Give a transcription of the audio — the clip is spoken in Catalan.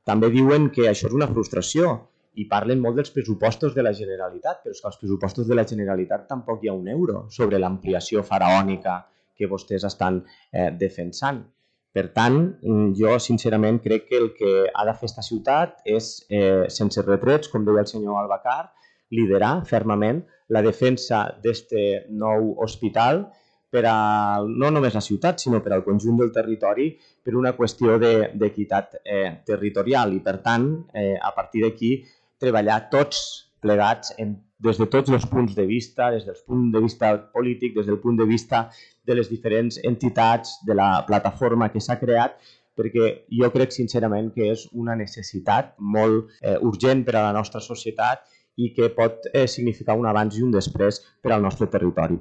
També diuen que això és una frustració i parlen molt dels pressupostos de la Generalitat, però és que als pressupostos de la Generalitat tampoc hi ha un euro sobre l'ampliació faraònica que vostès estan defensant. Per tant, jo sincerament crec que el que ha de fer esta ciutat és, sense retrets, com deia el senyor Albacar, liderar fermament la defensa d'aquest nou hospital per a no només la ciutat, sinó per al conjunt del territori, per una qüestió d'equitat territorial i, per tant, a partir d'aquí, treballar tots plegats des de tots els punts de vista, des del punt de vista polític, des del punt de vista de les diferents entitats, de la plataforma que s'ha creat, perquè jo crec sincerament que és una necessitat molt urgent per a la nostra societat i que pot significar un abans i un després per al nostre territori.